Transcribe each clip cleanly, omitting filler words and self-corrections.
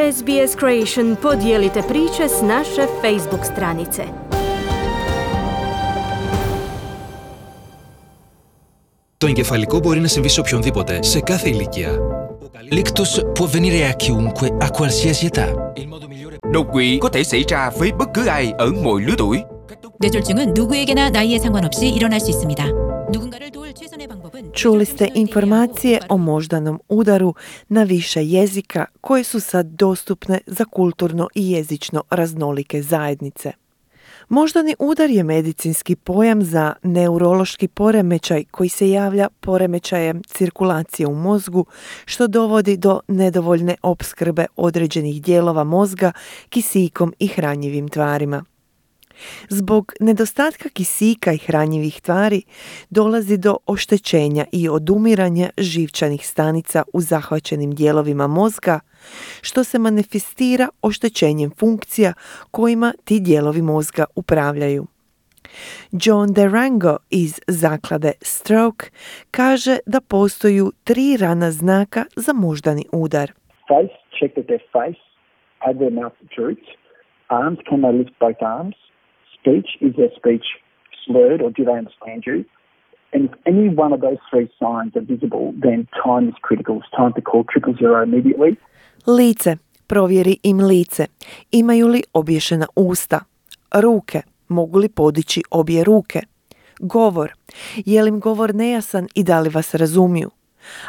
SBS Creation podijelite priče s naše Facebook stranice. Το εγκεφαλικό μπορεί να συμβεί σε οποιονδήποτε, σε κάθε ηλικία. L'ictus può avvenire a chiunque, a qualsiasi età. Đột quỵ có thể xảy ra với bất cứ ai ở mọi lứa tuổi. 뇌졸중은 누구에게나 나이에 상관없이 일어날 수 있습니다. 누군가를 도울 최선의 방법은 Čuli ste informacije o moždanom udaru na više jezika koje su sad dostupne za kulturno i jezično raznolike zajednice. Moždani udar je medicinski pojam za neurološki poremećaj koji se javlja poremećajem cirkulacije u mozgu, što dovodi do nedovoljne opskrbe određenih dijelova mozga kisikom i hranjivim tvarima. Zbog nedostatka kisika i hranjivih tvari dolazi do oštećenja i odumiranja živčanih stanica u zahvaćenim dijelovima mozga, što se manifestira oštećenjem funkcija kojima ti dijelovi mozga upravljaju. John Derango iz zaklade Stroke kaže da postoju 3 rana znaka za moždani udar. Face, check that their face, have their mouth drooped. Arms, can they lift both arms? Speech, is their speech slurred or do they understand you? And if any one of those 3 signs are visible, then time is critical. It's time to call 000 immediately. Lice, provjeri im lice. Imaju li obješena usta? Ruke, mogu li podići obje ruke? Govor, je li im govor nejasan i da li vas razumiju?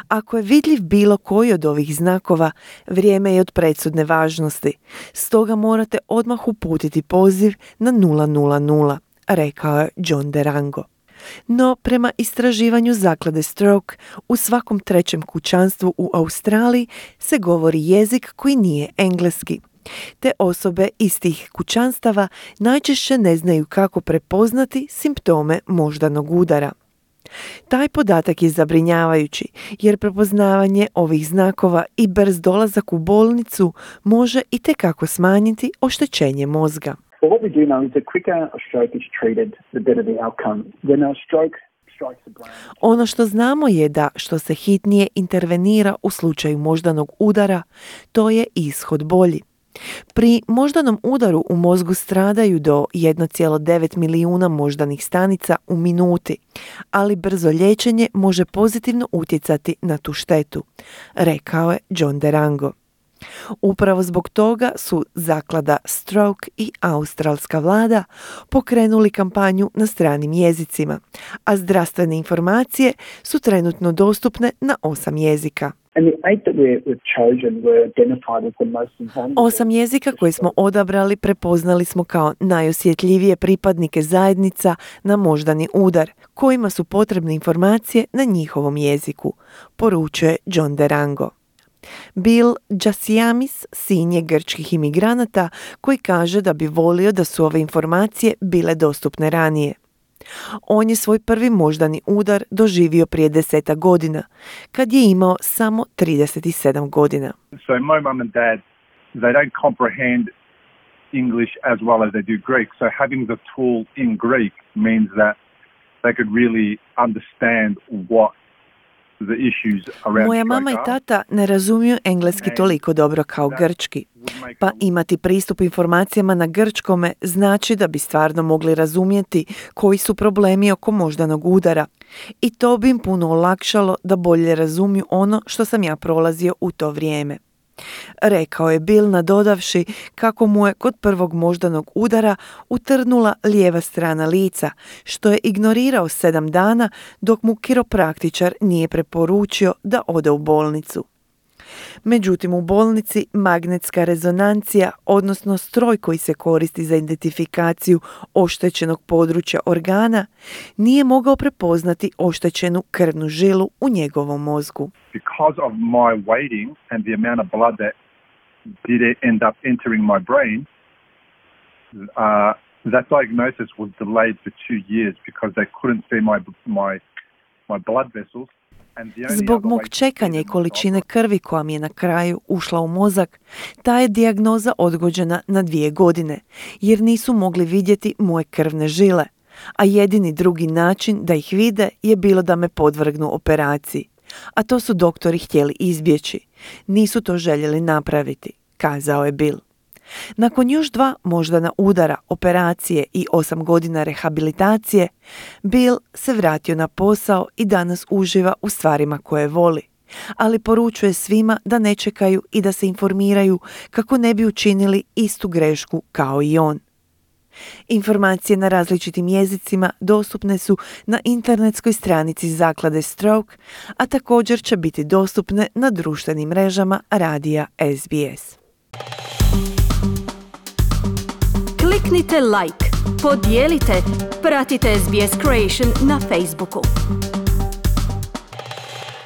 Ako je vidljiv bilo koji od ovih znakova, vrijeme je od presudne važnosti, stoga morate odmah uputiti poziv na 000, rekao je John Derango. No, prema istraživanju zaklade Stroke, u svakom 3. kućanstvu u Australiji se govori jezik koji nije engleski. Te osobe iz tih kućanstava najčešće ne znaju kako prepoznati simptome moždanog udara. Taj podatak je zabrinjavajući jer prepoznavanje ovih znakova i brz dolazak u bolnicu može itekako smanjiti oštećenje mozga. Well, what we do know is the quicker a stroke is treated, the better the outcome. When a stroke strikes the brain... Ono što znamo je da što se hitnije intervenira u slučaju moždanog udara, to je ishod bolji. Pri moždanom udaru u mozgu stradaju do 1,9 milijuna moždanih stanica u minuti, ali brzo liječenje može pozitivno utjecati na tu štetu, rekao je John Derango. Upravo zbog toga su zaklada Stroke i australska vlada pokrenuli kampanju na stranim jezicima, a zdravstvene informacije su trenutno dostupne na 8 jezika. 8 jezika koje smo odabrali prepoznali smo kao najosjetljivije pripadnike zajednica na moždani udar, kojima su potrebne informacije na njihovom jeziku, poručuje John Derango. Bill Jasiamis, sin je grčkih imigranata koji kaže da bi volio da su ove informacije bile dostupne ranije. On je svoj prvi moždani udar doživio prije 10 godina, kad je imao samo 37 godina. So my mum and dad, they don't comprehend English as well as they do Greek. So having the tool in Greek means that they could really understand what the issues around. Moja mama i tata ne razumiju engleski toliko dobro kao grčki, pa imati pristup informacijama na grčkome znači da bi stvarno mogli razumjeti koji su problemi oko moždanog udara i to bi im puno olakšalo da bolje razumiju ono što sam ja prolazio u to vrijeme. Rekao je Bill nadodavši kako mu je kod prvog moždanog udara utrnula lijeva strana lica, što je ignorirao 7 dana dok mu kiropraktičar nije preporučio da ode u bolnicu. Međutim, u bolnici magnetska rezonancija, odnosno stroj koji se koristi za identifikaciju oštećenog područja organa, nije mogao prepoznati oštećenu krvnu žilu u njegovom mozgu. Because of my waiting and the amount of blood that did end up entering my brain, that diagnosis was delayed for 2 years because they couldn't see my blood vessels. Zbog mog čekanja i količine krvi koja mi je na kraju ušla u mozak, ta je dijagnoza odgođena na 2 godine, jer nisu mogli vidjeti moje krvne žile, a jedini drugi način da ih vide je bilo da me podvrgnu operaciji. A to su doktori htjeli izbjeći. Nisu to željeli napraviti, kazao je Bill. Nakon još 2 moždana udara, operacije i 8 godina rehabilitacije, Bill se vratio na posao i danas uživa u stvarima koje voli, ali poručuje svima da ne čekaju i da se informiraju kako ne bi učinili istu grešku kao i on. Informacije na različitim jezicima dostupne su na internetskoj stranici zaklade Stroke, a također će biti dostupne na društvenim mrežama radija SBS. Kliknite like, podijelite, pratite SBS Creation na Facebooku.